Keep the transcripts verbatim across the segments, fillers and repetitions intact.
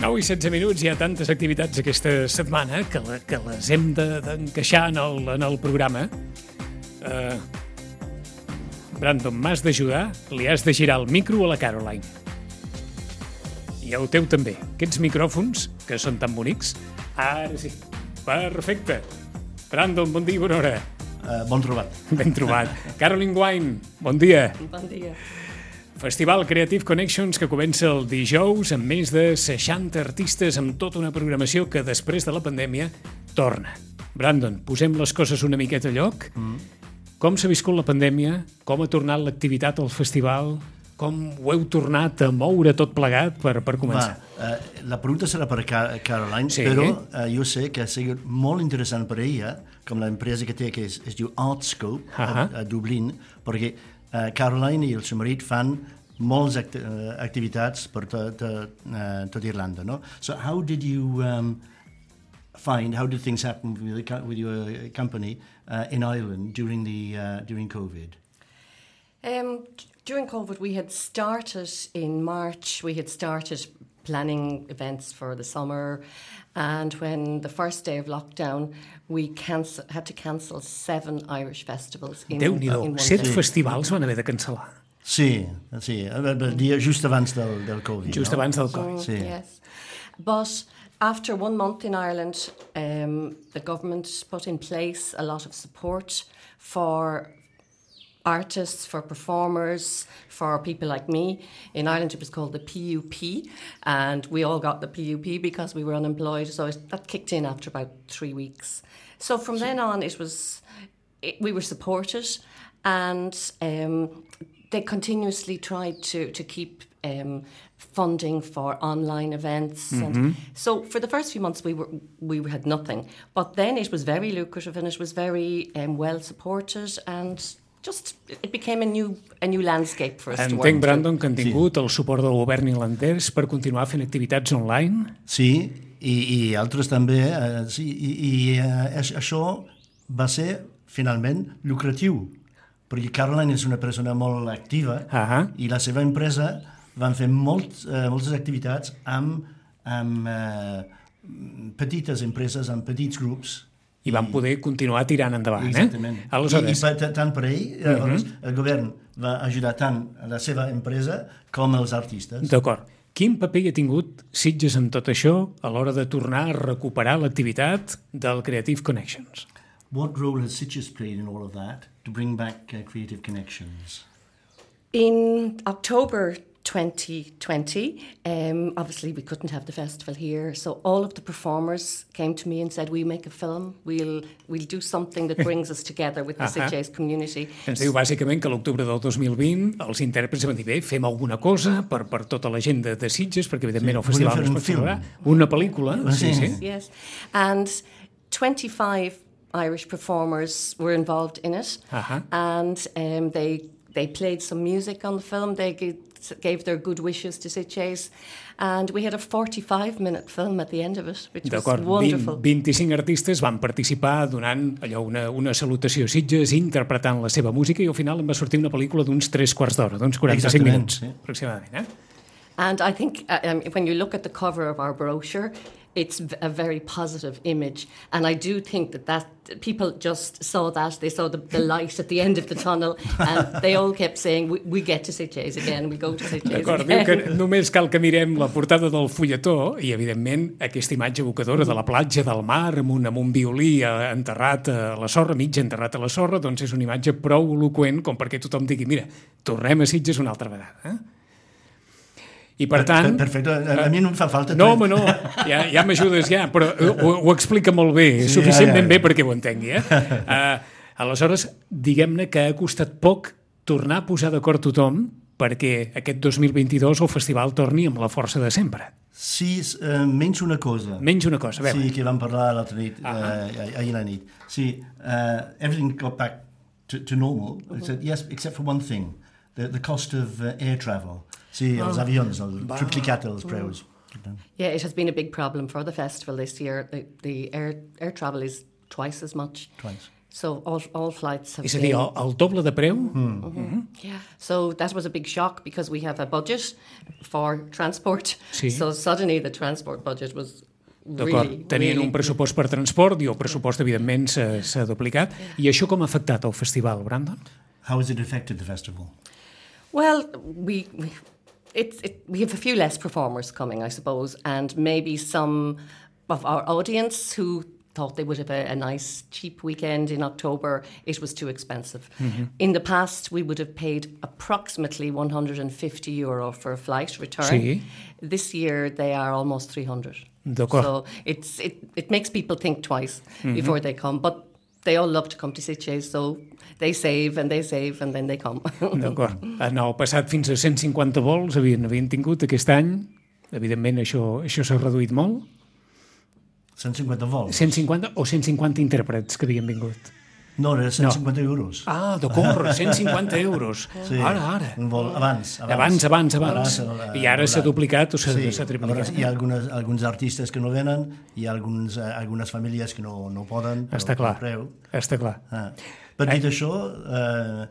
nou i setze minuts, hi ha tantes activitats aquesta setmana que, la, que les hem d'encaixar de, en, el, en el programa. Uh, Brandon, m'has d'ajudar, li has de girar el micro a la Caroline. I el teu també. Aquests micròfons, que són tan bonics, ara sí. Perfecte. Brandon, bon dia i bona hora. Uh, bon trobat. Ben trobat. Caroline Wine, bon dia. Bon dia. Festival Creative Connections que comença el dijous amb més de seixanta artistes amb tota una programació que després de la pandèmia torna. Brandon, posem les coses una miqueta a lloc. Mm. Com s'ha viscut la pandèmia? Com ha tornat l'activitat al festival? Com ho heu tornat a moure tot plegat per, per començar? Va, uh, la pregunta serà per Caroline, sí. però uh, jo sé que ha sigut molt interessant per ella, com l'empresa que té, que es, es diu Artscope, uh -huh. a, a Dublín, perquè uh, Caroline i el seu marit fan moltes act uh, activitats per tot, uh, tot Irlanda, no? So how did you um, find, how did things happen with, the, with your company uh, in Ireland during, the, uh, during COVID? Um, during COVID, we had started in March, we had started planning events for the summer, and when the first day of lockdown, we cancel, had to cancel seven Irish festivals in, Déu-n'hi-do, in one set day. festivals van haver de cancel·lar. Sí, sí, el dia just abans del, del Covid. Just no? abans del Covid. Mm, sí. Yes. But after one month in Ireland, um, the government put in place a lot of support for artists, for performers, for people like me. In Ireland it was called the P U P, and we all got the P U P because we were unemployed, so it, that kicked in after about three weeks. So from so, then on it was, it, we were supported, and um, they continuously tried to, to keep um, funding for online events. Mm-hmm. And so for the first few months we were we had nothing, but then it was very lucrative and it was very um, well supported, and just it became a new a new landscape for us Entenc, to work Brandon, que han tingut sí. el suport del govern irlandès per continuar fent activitats online. Sí, i, i altres també. Eh, sí, I i eh, això va ser finalment lucratiu, perquè Caroline és una persona molt activa uh -huh. i la seva empresa van fer molt, eh, moltes activitats amb, amb eh, petites empreses, amb petits grups. I van poder continuar tirant endavant. Exactament. Eh? Aleshores... I, i tant per ell, uh -huh. el govern va ajudar tant a la seva empresa com als artistes. D'acord. Quin paper hi ha tingut Sitges en tot això a l'hora de tornar a recuperar l'activitat del Creative Connections? What role has Sitges played in all of that to bring back uh, Creative Connections? In October twenty twenty, um, obviously we couldn't have the festival here, so all of the performers came to me and said, we make a film, we'll we'll do something that brings us together with the uh-huh. Sitges community. Ens diu bàsicament que a l'octubre del dos mil vint els intèrprets van dir, bé, fem alguna cosa per, per tota la gent de, de Sitges, perquè evidentment sí, el festival no es pot celebrar. Una pel·lícula. Sí, sí. Yes, and twenty-five Irish performers were involved in it, uh-huh. and um, they they played some music on the film. They gave, gave their good wishes to Sitges, and we had a forty-five minute film at the end of it, which was wonderful. vint-i-cinc artistes van participar donant allò una, una salutació a Sitges, interpretant la seva música, i al final en va sortir una pel·lícula d'uns tres quarts d'hora, d'uns quaranta-cinc minuts, sí. aproximadament. Eh? And I think uh, um, when you look at the cover of our brochure, it's a very positive image, and I do think that, that people just saw that, they saw the, the light at the end of the tunnel, and they all kept saying, we, we get to Sitges again, we go to Sitges D'acord, again. Diu que només cal que mirem la portada del fulletó i, evidentment, aquesta imatge evocadora de la platja del mar amb un, amb un violí enterrat a la sorra, mig enterrat a la sorra, doncs és una imatge prou eloqüent com perquè tothom digui, mira, tornem a Sitges una altra vegada, eh? I per tant... Perfecte, a mi no em fa falta... No, home, no, ja, ja m'ajudes ja, però ho, ho explica molt bé, sí, suficientment ja, ja, ja. bé perquè ho entengui. Eh? Uh, aleshores, diguem-ne que ha costat poc tornar a posar d'acord tothom perquè aquest dos mil vint-i-dos el festival torni amb la força de sempre. Sí, uh, menys una cosa. Menys una cosa, a veure. Sí, que vam parlar l'altra nit, uh -huh. uh, ahir la nit. Sí, uh, everything got back to, to normal, uh -huh. except, yes, except for one thing, the, the cost of uh, air travel. Sí, els oh. avions, el triplicat els preus. Yeah, it has been a big problem for the festival this year. The, the air, air travel is twice as much. Twice. So all, all flights have És a dir, been... el, el doble de preu? Mm. Mm-hmm. Mm-hmm. Yeah. So that was a big shock because we have a budget for transport. Sí. So suddenly the transport budget was D'acord, really, tenien really... un pressupost per transport i el pressupost, evidentment, s'ha, s'ha duplicat. I això com ha afectat el festival, Brandon? How has it affected the festival? Well, we... we It's, it, we have a few less performers coming, I suppose, and maybe some of our audience who thought they would have a, a nice, cheap weekend in October, it was too expensive. Mm-hmm. In the past, we would have paid approximately one hundred fifty euro for a flight return. Sí. This year, they are almost three hundred. D'acord. So it's, it, it makes people think twice mm-hmm. before they come. But they all love to come to Sitges, so they save and they save and then they come. D'acord. En el passat fins a cent cinquanta vols havien, havien tingut aquest any. Evidentment això, això s'ha reduït molt. cent cinquanta vols? cent cinquanta o cent cinquanta intèrprets que havien vingut. No, era cent cinquanta no. euros. Ah, d'acord, cent cinquanta euros. Sí, ara, ara. Un vol abans. Abans, abans, abans. abans. I ara s'ha duplicat o s'ha sí. triplicat. Hi ha algunes, alguns artistes que no venen, hi ha alguns, uh, algunes famílies que no, no poden. Està clar, està clar. Ah. Però dit això, uh,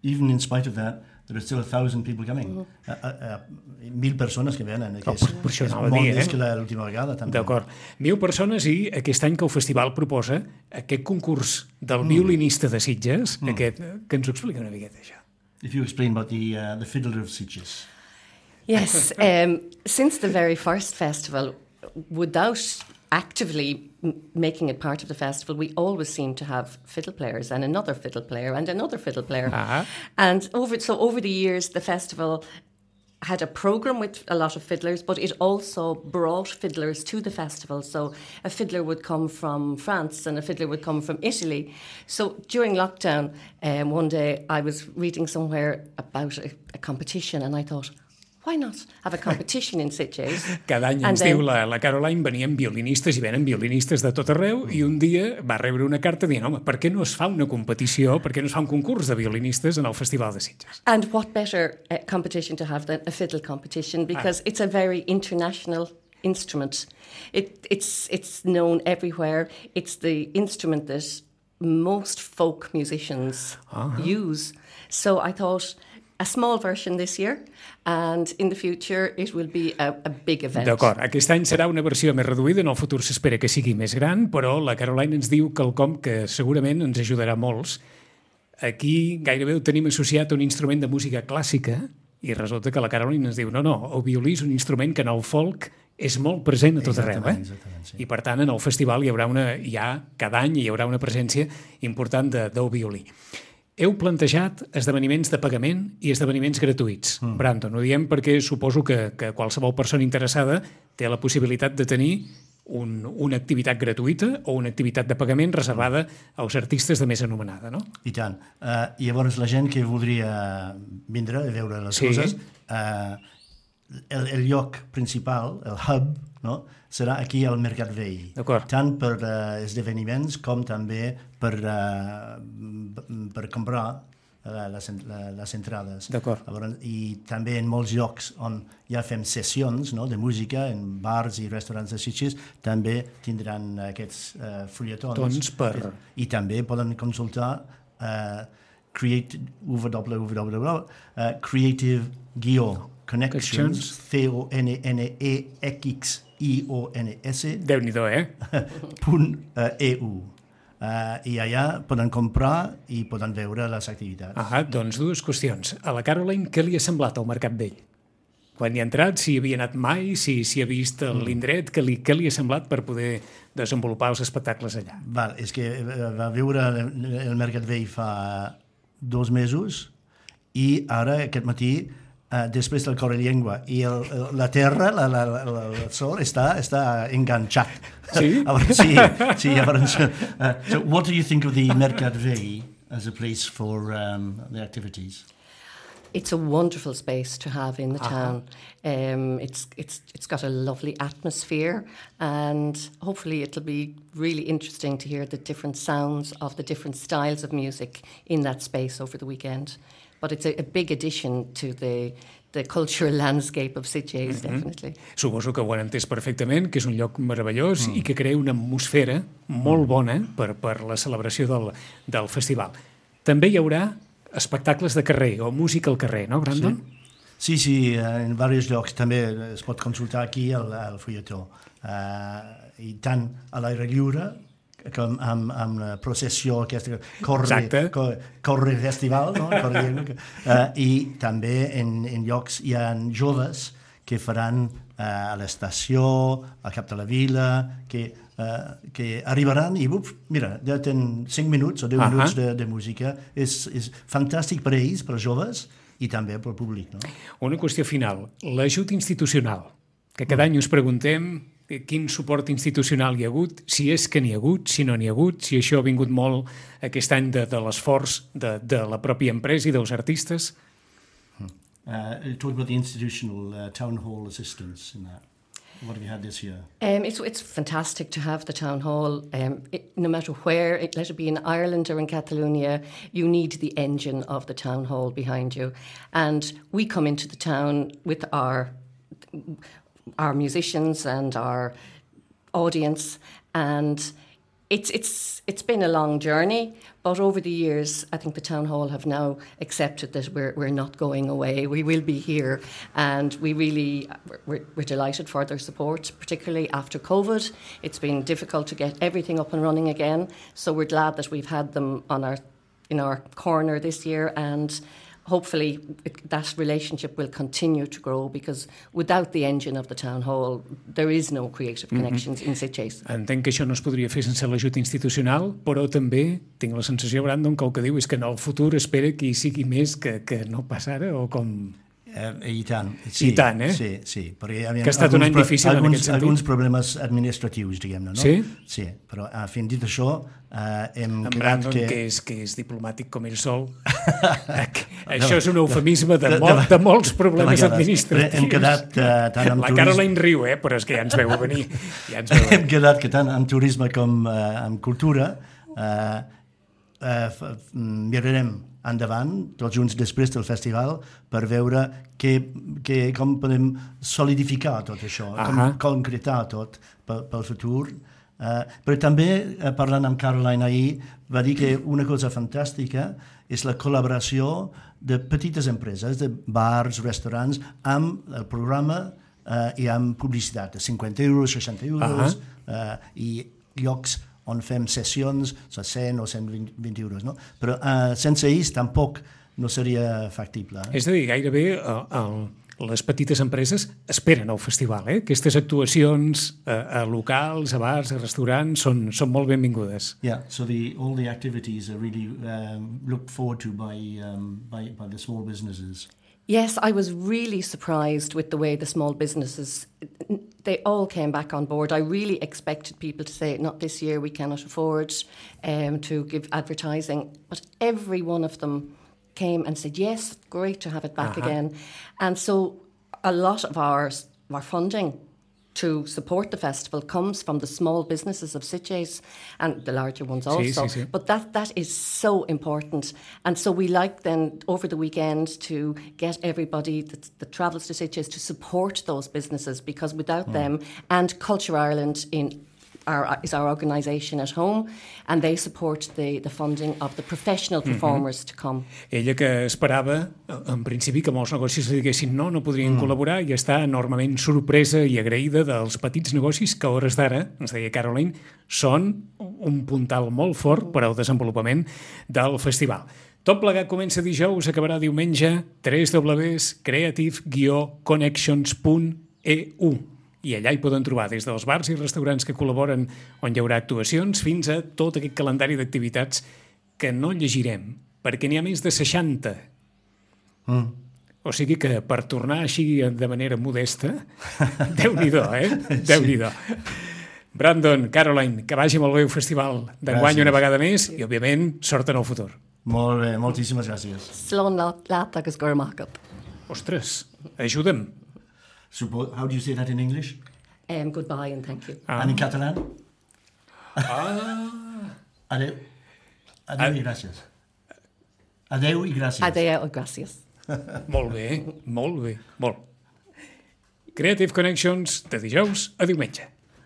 even in spite of that, there are still a thousand people coming. Mm-hmm. uh, uh, uh, mil persones que venen, que és, oh, és molt dir, més eh? que l'última vegada. També. D'acord. Mil persones i aquest any que el festival proposa aquest concurs del violinista de Sitges, mm. aquest, que ens ho explica una miqueta, això. If you explain about the, uh, the Fiddler of Sitges. Yes, um, since the very first festival, without actively m- making it part of the festival, we always seem to have fiddle players and another fiddle player and another fiddle player. Uh-huh. And over so over the years, the festival had a program with a lot of fiddlers, but it also brought fiddlers to the festival. So a fiddler would come from France and a fiddler would come from Italy. So during lockdown, um, one day I was reading somewhere about a, a competition and I thought, why not have a competition in Sitges? Cada any ens then... diu la, la Caroline, venien violinistes i venen violinistes de tot arreu i un dia va rebre una carta dient, home, per què no es fa una competició, per què no es fa un concurs de violinistes en el Festival de Sitges? And what better uh, competition to have than a fiddle competition, because ah. it's a very international instrument. It, it's, it's known everywhere. It's the instrument that most folk musicians uh-huh. use. So I thought... a small version this year, and in the future it will be a, a big event. D'acord, aquest any serà una versió més reduïda, en el futur s'espera que sigui més gran, però la Caroline ens diu quelcom que segurament ens ajudarà molts. Aquí gairebé ho tenim associat a un instrument de música clàssica, i resulta que la Caroline ens diu, no, no, el violí és un instrument que en el folk és molt present a tot arreu, eh? Sí. I per tant en el festival hi haurà una, ja cada any hi haurà una presència important de, del violí. Heu plantejat esdeveniments de pagament i esdeveniments gratuïts. Mm. Brandon, ho diem perquè suposo que, que qualsevol persona interessada té la possibilitat de tenir un, una activitat gratuïta o una activitat de pagament reservada als artistes de més anomenada, no? I tant. Uh, I llavors la gent que voldria vindre a veure les sí. coses, uh, el, el lloc principal, el hub, no? serà aquí al Mercat Vell. Tant per uh, esdeveniments com també per, uh, per comprar uh, les, les entrades. Llavors, I també en molts llocs on ja fem sessions no, de música, en bars i restaurants de Sitges, també tindran aquests uh, fulletons. Per... I també poden consultar uh, create, w w w punt creative connections, C O N N E X I O N S Déu-n'hi-do, eh? punt E U. Uh, I allà poden comprar i poden veure les activitats. Ah, doncs dues qüestions. A la Caroline, què li ha semblat al Mercat Vell? Quan hi ha entrat, si hi havia anat mai, si, si ha vist l'indret, què li, què li ha semblat per poder desenvolupar els espectacles allà? Val, és que va viure el Mercat Vell fa dos mesos i ara, aquest matí, Uh, després del cor i llengua i el, el, la terra, la, la, la, el sol està, està enganxat. Sí? sí, sí llavors, uh, so what do you think of the Mercat Vell as a place for um, the activities? It's a wonderful space to have in the uh-huh. town. Um, it's it's it's got a lovely atmosphere, and hopefully it'll be really interesting to hear the different sounds of the different styles of music in that space over the weekend. But it's a, a big addition to the the cultural landscape of Sitges, mm-hmm. definitely. Suposo que ho han entès perfectament, que és un lloc meravellós mm. i que crea una atmosfera molt bona per, per la celebració del, del festival. També hi haurà espectacles de carrer o música al carrer, no, Brandon? Sí, sí, sí, en diversos llocs també es pot consultar aquí al, al fulletó. Uh, I tant a l'aire lliure com amb, amb la processió aquesta corre, corre, corre festival, no? Corre, uh, i també en, en llocs hi ha joves que faran uh, a l'estació, al cap de la vila, que, uh, que arribaran i, uf, mira, ja tenen cinc minuts o deu uh-huh. minuts de, de música. És, és fantàstic per a ells, per als joves, i també pel públic. No? Una qüestió final, l'ajut institucional, que cada mm. any us preguntem quin suport institucional hi ha hagut, si és que n'hi ha hagut, si no n'hi ha hagut, si això ha vingut molt aquest any de, de l'esforç de, de la pròpia empresa i dels artistes. Uh, talk about the institutional uh, town hall assistance in that. What have you had this year? Um, it's, it's fantastic to have the town hall. Um, it, no matter where, it, let it be in Ireland or in Catalonia, you need the engine of the town hall behind you. And we come into the town with our our musicians and our audience, and it's it's it's been a long journey, but over the years I think the town hall have now accepted that we're we're not going away. We will be here, and we really we're, we're delighted for their support, particularly after COVID. It's been difficult to get everything up and running again, so we're glad that we've had them on our in our corner this year, and hopefully it, that relationship will continue to grow, because without the engine of the town hall there is no creative connections mm-hmm. in Sitges. Entenc que això no es podria fer sense l'ajut institucional, però també tinc la sensació, Brandon, que el que diu és que en el futur espera que hi sigui més que, que no pas ara, o com... Uh, I tant. Sí, I tant, eh? Sí, sí. Perquè, que ha estat un any difícil alguns, en aquest sentit. Alguns problemes administratius, diguem-ne, no? Sí? Sí, però uh, fins dit això, uh, hem en quedat Brandon, que... que és, que és diplomàtic com ell sol. Això és un eufemisme de, de, de, de molts problemes administratius. Hem quedat uh, tant amb La Caroline riu, eh? Però és que ja ens veu venir. Ja ens veu venir. Hem quedat que tant amb turisme com uh, amb cultura uh, uh, mirarem endavant, tots junts després del festival, per veure que, que, com podem solidificar tot això, uh-huh. com concretar tot pel, pel futur. Uh, però també, uh, parlant amb Caroline ahir, va dir que una cosa fantàstica és la col·laboració de petites empreses, de bars, restaurants, amb el programa uh, i amb publicitat, de cinquanta euros, seixanta euros, uh-huh. uh, i llocs on fem sessions a cent o cent vint euros, no? Però uh, sense ells tampoc no seria factible. Eh? És a dir, gairebé uh, uh, les petites empreses esperen el festival, eh? Aquestes actuacions uh, a locals, a bars, a restaurants, són, són molt benvingudes. Yeah, so the, all the activities are really um, looked forward to by, um, by, by the small businesses. Yes, I was really surprised with the way the small businesses, they all came back on board. I really expected people to say, not this year, we cannot afford um, to give advertising. But every one of them came and said, yes, great to have it back uh-huh. again. And so a lot of our, our funding to support the festival comes from the small businesses of Sitges, and the larger ones also. Sí, sí, sí. But that, that is so important. And so we like then over the weekend to get everybody that, that travels to Sitges to support those businesses, because without mm. them, and Culture Ireland in our, is our organisation at home, and they support the, the funding of the professional performers mm-hmm. to come. Ella que esperava, en principi, que molts negocis li diguessin no, no podrien mm. col·laborar, i està enormement sorpresa i agraïda dels petits negocis que a hores d'ara, ens deia Caroline, són un puntal molt fort per al desenvolupament del festival. Tot plegat comença dijous, acabarà diumenge, w w w punt creative guió connections punt e u. I allà hi poden trobar des dels bars i restaurants que col·laboren on hi haurà actuacions fins a tot aquest calendari d'activitats que no llegirem, perquè n'hi ha més de seixanta. Mm. O sigui que per tornar així de manera modesta, Déu-n'hi-do, eh? Déu-n'hi-do. Brandon, Caroline, que vagi molt bé el festival d'enguany una vegada més i, òbviament, sort en el futur. Molt bé, moltíssimes gràcies. Slán lát agus gurmachad. Ostres, ajuda'm. Suppose, how do you say that in English? Um, goodbye and thank you. Ah. And in Catalan? Ah. Adeu. Adeu Ad- i gràcies. Adeu i gràcies. Adeu i gràcies. Molt bé, molt bé, molt. Creative Connections de dijous a diumenge.